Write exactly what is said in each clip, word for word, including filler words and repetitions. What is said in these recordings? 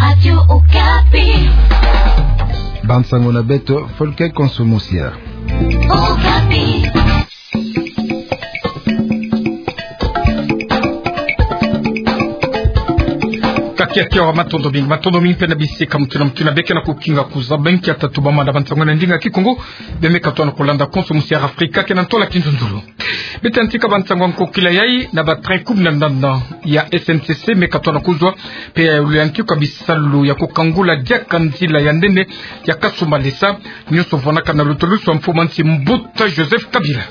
Radio Okapi. Bansango na beto, Folke Konso Musia. Okapi. Kakia kiawa, matondo mingi, matondo mingi mpe na bisika mutu na mutu na beke na kukinga kuzaba nkia tatu bamanda bansango na ndinga Kikongo, bemeka twana kulanda Konso Musia Afrika, ke na ntola kinzunzulu. Beto yantika bansango ya nkokila yai na ba train kumi na ndanda ya S N C C meka twana kuzwa, mpe ya luyantiku kwa bisalu ya kukangula diaka nzila ya nene ya Kasumbalesa, nyonso vwanaka na lutulusu ya mfumu a nsi Mbuta Joseph Kabila.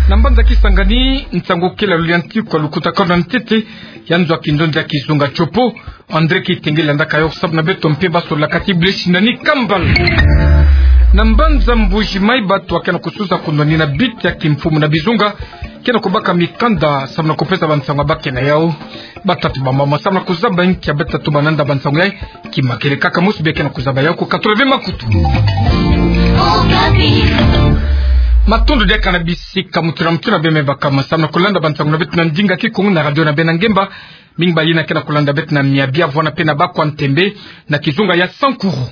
Na mbanza Kisangani, nsangu kele ya luyantiku kwa lukutakanu ya ntete ya nzo ya kinzonzi ya kizunga Tshopo, André Kitenge landaka yo samu na beto mpe basololaka ti Blaise Nani Kambal. Na mbanza Mbuji-Mayi, bato ke na kususa kunwanina bita ya kimfumu na bizunga ke na kubaka mikanda samu na kupesa bansangu ya ba ke na yau. Batata, bamama, samu na kuzaba nkia batatu bananda bansangu yai, kima kele kaka mosi bia ke na kuzaba yau, kukatula bie makutu. Matondo diaka na bisika mutu na mutu na bie me bakama samu na kulanda bansangu na beto na ndinga Kikongo na radio na bie na ngemba. Mingi ba yina ke na kulanda beto na miabia, vwanda mpe na bakwa ntembe na kizunga ya Sankuru.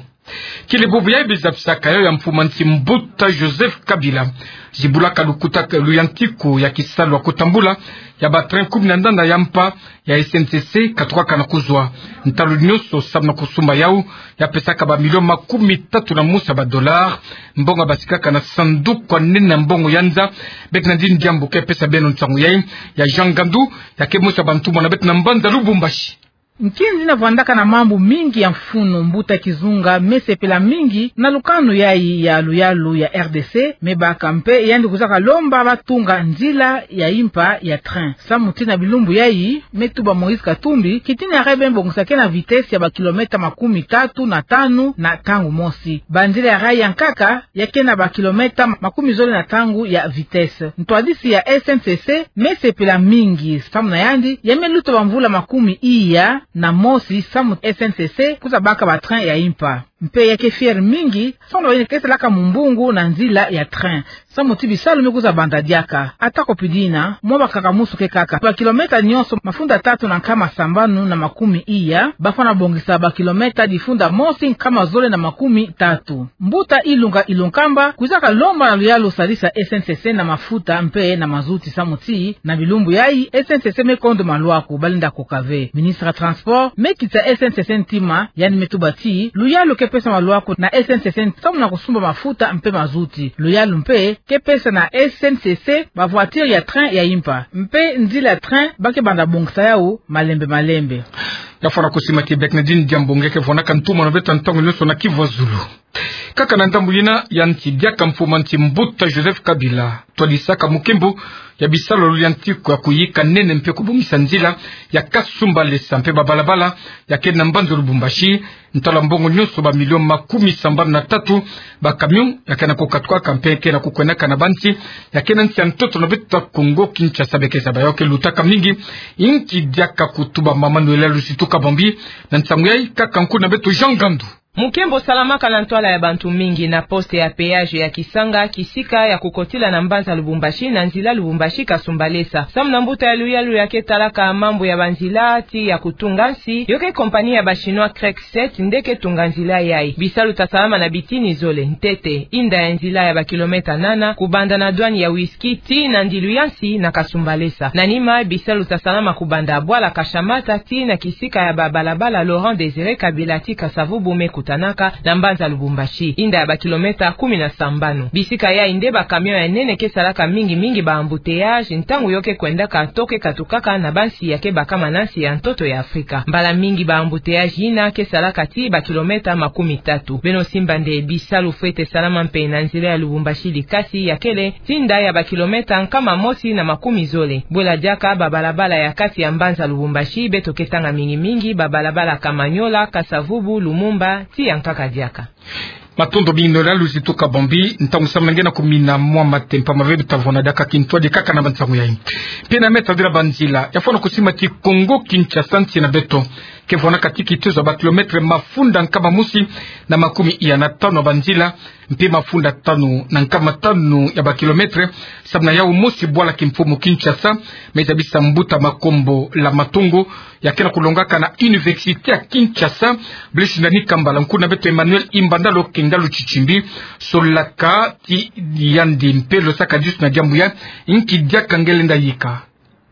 Kele bubu yai bizapisaka yo ya mfumu a nsi Mbuta Joseph Kabila. Zibulaka lukuta, luyantiku ya kisalu ya kutambula ya ba train kumi na ndanda ya mpa ya S N C C katukaka na kuzwa. Ntalu nyonso samu na kusumba yau ya pesaka ba million makumi tatu na mosi ya ba dollars. Mbongo basikaka na sanduku ya nene ya mbongo ya nza. Bernardine Diambu ke pesa beno nsangu yai, ya Jean Ngandu, ya ke mosi ya bantumwa na beto na mbanza Lubumbashi. Nkinzi na vwandaka na mambu mingi ya mfunu, mbuta kizunga me sepela mingi na lukanu yai ya luyalu ya R D C, me baka mpe yandi kuzaka lomba batunga nzila ya impa ya train. Samu ti na bilumbu yai, me tuba Moïse Katumbi, kitina ya kebe mbongisa ke na vitesse ya ba kilomètre makumi tatu na tanu na ntangu mosi. Banzila ya rail ya nkaka ya ke na ba kilomètre makumi zole na ntangu ya vitesse. Ntwadisi ya S N C C me sepela mingi, samu na yandi ya me luta bamvula makumi iya na mosi samu S N C C kuza baka ba train ya impa. Mpe ya ke fier mingi samu na ba yina ke salaka mumbungu na nzila ya train. Samu ti bisalu me kuza banda diaka. Atako pi dina, mwa bakaka musu ke kaka. Ba kilomètre nyonso mafunda tatu na nkama sambanu na makumi iya, bafwana bongisa ba kilomètre difunda mosi nkama zole na makumi tatu. Mbuta Ilunga Ilunkamba kwizaka lomba na luyalu sadisa S N C C na mafuta mpe na mazuti samu ti na bilumbu yai S N C C me kondo malwaku, balenda koka ve. Ministre ya transport me kitisa S N C C ntima, yandi me tuba ti luyalu ke pesa malwaku na S N C C samu na kusumba mafuta mpe mazuti. Luyalu mpe ke pesa na S N C C ba voiture ya train ya impa. Mpe nzila ya train ba ke banda bongisa yau malembe malembe. Ya fwana kusima ti Bernardine Diambu nge ke fwanaka ntumwa na beto ntangu nyonso na Kivu ya zulu. Kaka na ndambu yina, yanti diaka mfumu a nsi Mbuta Joseph Kabila twadisaka mukimbu ya bisalu ya luyantiku ya kuyika nene mpe kubongisa nzila ya Kasumbalesa mpe ba balabala ya ke na mbanza Lubumbashi. Ntalu ya mbongo nyonso ba million makumi sambanu na tatu, ba camion ya ke na kukatukaka mpe ke na kukwendaka na bansi ya ke na nsi ya ntoto na beto ya Kongo Kinshasa, beke zaba yau ke lutaka mingi. Inki diaka kutuba mama Noëlla Lusitu Kabambi na nsangu yai, kaka nku na beto Jean Ngandu. Mukimbu salamaka na ntwala ya bantu mingi na poste ya péage ya Kisanga, kisika ya kukotila na mbanza Lubumbashi na nzila Lubumbashi Kasumbalesa. Samu na mbuta ya luyalu ya ke talaka mambu ya banzila ti ya kutunga nsi, yo ke compagnie ya ba Chinois Crex sept nde ke tunga nzila yai. Bisalu ta salama na bitini zole. Ntete, inda ya nzila ya ba kilomètre nana, kubanda na douane ya Ouistreham tii na ndilu ya nsi na Kasumbalesa. Na nima, bisalu ta salama kubanda bwala Kashamata tii na kisika ya ba balabala Laurent Désiré Kabila tii Kasa-Vubu me kutanaka na mbanza Lubumbashi, inda ya ba kilomètre kumi na sambanu. Bisika yai nde ba camion ya nene ke salaka mingi mingi ba embouteillage ntangu yo ke kwendaka to ke katukaka na bansi ya ke bakama na nsi ya ntoto ya Afrika. Mbala mingi ba embouteillage yina ke salaka tii ba kilomètre makumi tatu. Beno simba nde bisalu fwete salama mpe na nzila ya Lubumbashi Likasi ya kele tii inda ya ba kilomètre nkama mosi na makumi zole. Bwela diaka ba balabala ya kati ya mbanza Lubumbashi, beto ke tanga mingi mingi ba balabala Kamanyola, Kasa-Vubu, Lumumba, tii ya nkaka diaka. Matondo mingi na luzituka bombi, ntangu samu na nge na kumina mwa matempa mave butavona diaka kintwadi kaka na bansangu yayi. Mpe na meta dila banzila, ya fwana kusimbati Kongo Kinshasa nsi na beto. Ke fwana kati kitezo ya ba kilometre mafunda nkama mosi na makumi iya na tanu ya banzila, mpe mafunda tanu na nkama tanu ya ba kilometre, samu na yawu mosi bwala kimfumu Kinshasa, me zabisa mbuta Makombo la Matongo, ya ke na kulongaka na Université ya Kinshasa, Blaise Ndani Kambala, nkuna beto Emmanuel Imbanda lo kenga lo titindi, solaka ti yandi mpe lo saka disu na diambu ya, nki diaka nge lenda yika.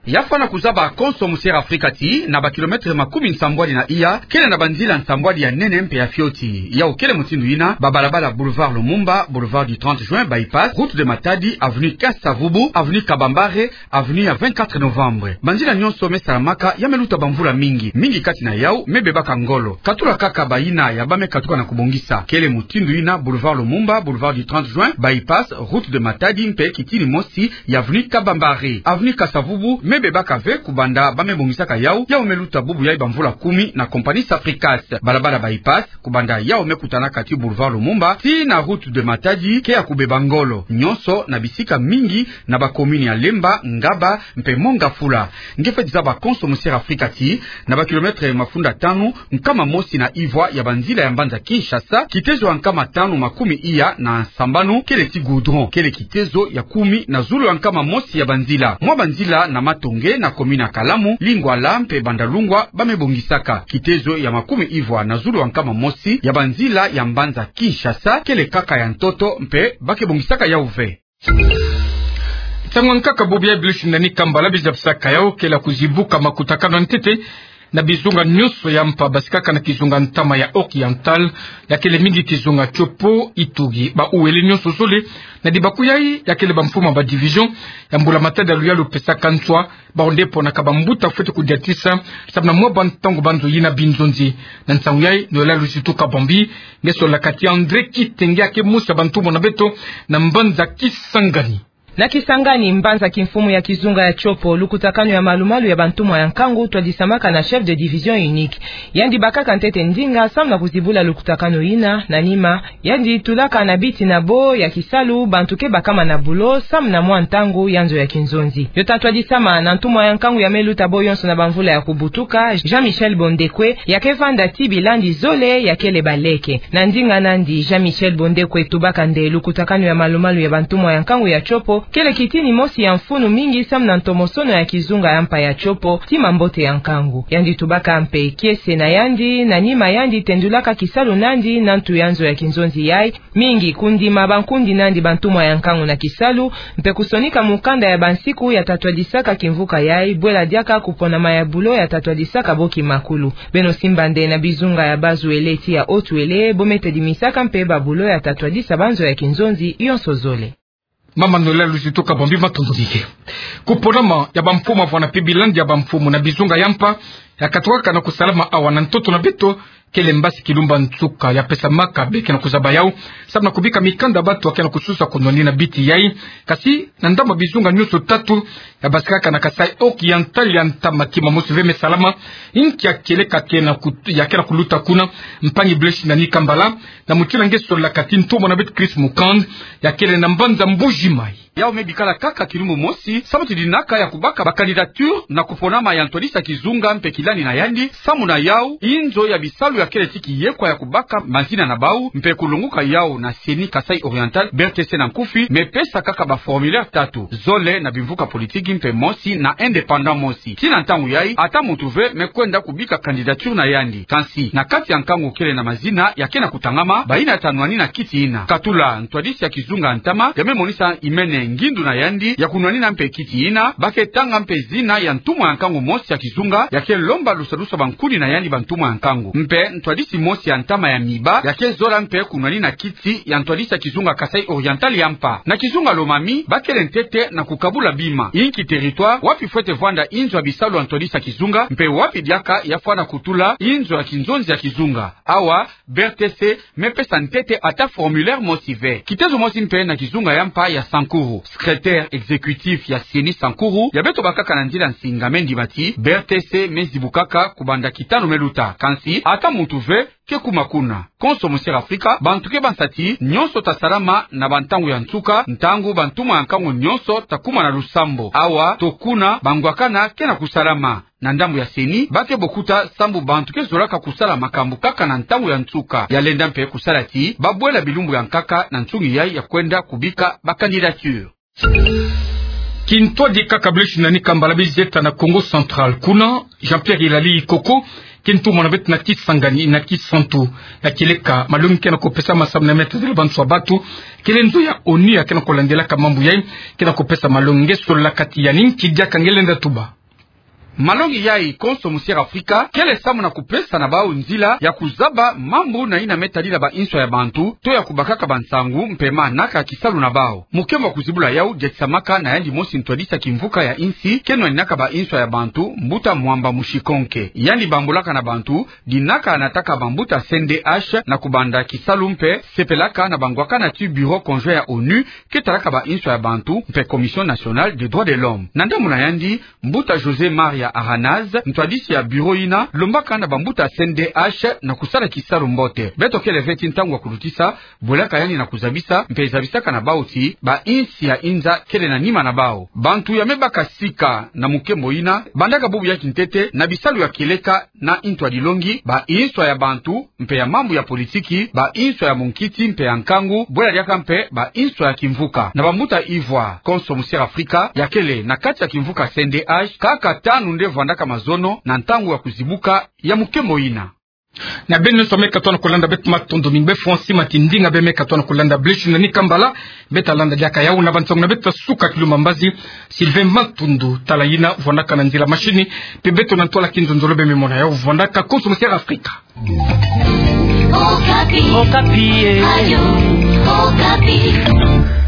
Ya fwana kuzaba konso musiere Afrika ti, na ba kilometre makumi nsambwadi na iya, kele na banzila nsambwadi ya nene mpe ya fioti. Yawu kele mutindu yina, ba balabala Boulevard Lumumba, Boulevard du trente Juin, Bypass, Route de Matadi, Avenue Kinshasa-Vubu, Avenue Kabambare, Avenue ya vingt-quatre Novembre. Banzila nyonso me salamaka, ya me luta bamvula mingi, mingi kati na yawu me bebaka ngolo. Katula kaka bayina ya ba me katuka na kubongisa. Kele mutindu yina Boulevard Lumumba, Boulevard du trente Juin, Bypass, Route de Matadi, mpe kitini mosi ya Avenue Kabambare. Avenue Kinshasa-Vubu me bebaka ve kubanda ba me bongisaka yawu, yawu me luta bubu yayi bamvula kumi na compagnie Sapricas. Balabala Bypass, kubanda yawu me kutanaka ti Boulevard Lumumba tii na Route de Matadi, ke ya kubeba ngolo, nyonso na bisika mingi na ba commune ya Lemba, Ngaba, mpe Mont Ngafula. Nge fweti zaba konso musiere Afrika ti, na ba kilometre mafunda tanu, nkama mosi na ivwa ya banzila ya mbanza Kinshasa, kitezo ya nkama tanu makumi iya na sambanu kele ti goudron, kele kitezo ya kumi na zulu ya nkama mosi ya banzila. Mwa banzila na Matonge, na commune ya Kalamu, Lingwala mpe Bandalungwa ba me bongisaka. Kitezo ya makumi ivwa na zulu ya nkama mosi ya banzila ya mbanza Kinshasa kele kaka ya ntoto mpe ba ke bongisaka yawu ve. Nsangu nkaka bubu ya Blaise Ndani Kambala bizabisaka yawu kele kuzibuka makutakanu ya ntete na bizunga nyonso ya mpa basikaka na kizunga ntama ya Oriental, ya kele mingi kizunga Tshopo, Ituri. Ba Uele nyonso zole na dibaku yayi, ya kele bamfumu ba division ya mbula matadi ya luyalu pesaka nswa, bawu nde ponaka bambuta fweti kudiatisa, samu na mwa bantangu banzo yina binzonzi. Na nsangu yayi, Noël Luzitu Kabambi, nge solaka ti André Kitenge, ya ke mosi ya bantumwa na beto na mbanza Kisangani. Na Kisangani, mbanza kimfumu ya kizunga ya Tshopo, lukutakanu ya malumalu ya bantumwa ya nkangu twadisamaka na chef de division unique. Yandi bakaka ntete ndinga samu na kuzibula lukutakanu yina, na nima yandi tulaka na biti na bo ya kisalu bantu ke bakama na bulo samu na mwa ntangu ya nzo ya kinzonzi. Yo ta twadisama na ntumwa ya nkangu ya me luta bo yonso na bamvula ya kubutuka, Jean-Michel Bondekwe, ya ke vanda ti bilandi zole ya kele baleke. Na ndinga nandi, Jean-Michel Bondekwe tubaka nde lukutakanu ya malumalu ya bantumwa ya nkangu ya Tshopo kele kitini mosi ya mfunu mingi samu na ntomosono ya kizunga ya mpa ya Tshopo ti mambote ya nkangu. Yandi tubaka mpe kiese na yandi, na nima yandi tendulaka kisalu nandi na ntu ya nzo ya kinzonzi yayi, mingi kundima bankundi nandi bantumwa ya nkangu na kisalu, mpe kusonika mukanda ya bansiku ya ta twadisaka kimvuka yayi, bwela diaka kuponama ya bulo ya ta twadisaka bo kimakulu. Beno simba nde na bizunga ya Bas-Uele ti ya Haut-Uele, bo me tedimisaka mpe babulo ya ta twadisa banzo ya kinzonzi yonso zole. Mama Noël Luzitu Kabambi, matondo mingi. Kuponama ya bamfumu, avwanga mpe bilandi ya bamfumu na bizunga ya mpa, ya katukaka na kusalama awa na ntoto na beto, kele mbasi kilumba nsuka ya pesamaka, beke na kuzaba yawu samu na kubika mikanda bantu ya ke na kususa kunwanina biti yayi. Kasi na ndambu ya bizunga nyonso tatu ya basikaka na Kasaï Oriental ya ntama, kima mosi ve me salama. Inki ya kieleka ke na kut-, ya ke na kuluta kuna? Mpangi Blaise Ndani Kambala, na mutindu nge solaka ti ntumwa na beto Chris Mukand, ya kele na mbanza Mbuji-Mayi. Yawu me bikala kaka kilumbu mosi, samu ti dinaka ya kubaka ba candidature na kuponama ya ntwadisi ya kizunga mpe kilandi na yandi, samu na yawu, inzo ya bisalu ya kele ti kiyekwa ya kubaka mazina na bawu, mpe kulonguka yawu na CENI Kasaï Oriental, B R T C na nkufi, me pesa kaka ba formulaire tatu, zole na bimvuka politiki mpe mosi na indépendant mosi. Ti na ntangu yayi, ata muntu ve me kwenda kubika candidature na yandi. Kansi, na kati ya nkangu kele na mazina ya ke na kutangama, bayina ta nwanina kiti yina. Katula, ntwadisi ya kizunga ntama, ya me monisa imene ngindu na yandi ya kunwanina mpe kiti yina, ba ke tanga mpe zina ya ntumwa ya nkangu mosi ya kizunga, ya ke lomba lusadusu ya bankuni na yandi bantumwa ya nkangu. Mpe ntwadisi mosi ya ntama ya miba, ya ke zola mpe kunwanina kiti ya ntwadisi ya kizunga Kasaï Oriental ya mpa. Na kizunga Lomami, ba kele ntete na kukabula bima. Inki territoire wapi fwete vwanda inzo ya bisalu ya ntwadisi ya kizunga, mpe wapi diaka ya fwana kutula inzo ya kinzonzi ya kizunga. Awa, B R T C me pesa ntete ata formulaire mosi ve. Kitezo mosi mpe na kizunga ya mpa ya Sankuru. Secrétaire exécutif ya CENI Sankuru, ya beto bakaka na nzila nsinga, me ndima ti B R T C me zibukaka kubanda kitanu me luta. Kansi, ata muntu ve ke kuma kuna. Konso mu Sierra Afrika, bantu ke bansa ti nyonso ta salama na bantangu ya nsuka, ntangu bantumwa ya nkangu nyonso ta kuma na lusambo. Awa, tokuna, bangwakana ke na kusalama. Na ndambu ya CENI, ba ke bokuta sambu bantu ke zolaka kusala makambu kaka na ntangu ya nsuka. Ya lenda mpe kusala ti ba bwela bilumbu ya nkaka na nsungi yai ya kwenda kubika ba candidature. Kintwadi kaka Blaise Nani Kambala bizi eta na Kongo Central. Kuna, Jean-Pierre Ilali Ikoko ke ntumwa na beto na Kisangani na Kisantu. Na kieleka malongi ke na kupesama samu na meta zila banso ya batu, kele nzo ya ONU ya ke na kulandelaka mambu yai ke na kupesa malongi. Nge solola kati ya nini, kidiaka nge lenda tuba. Malongi yai konso mu Sierra Afrika, kele samu na kupesa na bau nzila ya kuzaba mambu na yina me tadila ba inswa ya bantu, to ya kubakaka bansangu mpe manaka kisalu na bau. Mukembo wa kuzibula yau diatisamaka na yandi mosi ntwadisi ya kimvuka ya insi ke nwaninaka ba inswa ya bantu, mbuta Mwamba Mushikonke. Yandi bambolaka na bantu, dinaka nataka bambuta C N D H na kubanda kisalu mpe sepelaka na bangwakana ti Bureau conjoint ya ONU ke talaka ba inswa ya bantu mpe Commission nationale des droits de l'homme. Na ndambu na yandi, mbuta José Maria Aranaz, ntwadisi ya bureau yina, lombaka na bambuta C N D H na kusala kisalu mbote. Beto kele ve ti ntangu ya kulutisa, bwelaka yandi na kuzabisa, mpe zabisaka na bau ti ba insi ya inza kele na nima na bau. Bantu ya me baka sika na mukembo yina bandaka bubu ya kintete na bisalu ya kieleka na ntwadilongi, ba inswa ya bantu mpe ya mambu ya politiki, ba inswa ya munkiti mpe ya nkangu, bwela diaka mpe ba inswa ya kimvuka. Na bambuta Ivoire, konso mu Sierra Afrika, ya kele na kati ya kimvuka C N D H, kaka tanu nde vandaka mazono na ntangu ya kuzibuka ya mukembo yina. Na beno nyonso me katuka na kulanda, beto matondo mingi. Bê Francis Matindinga bê me katuka na kulanda. Blaise Nani Kambala bê ta landa diaka yau. Na bansangu na beto ta suka, Kilumba Mbazi, Sylvain Matundu tala yina vandaka na nzila machine, mpe beto na ntwala Kinzonzolo bê me mona yau vandaka. Konso mu Sierra Afrika. Okapi. Okapi, eh. Radio Okapi.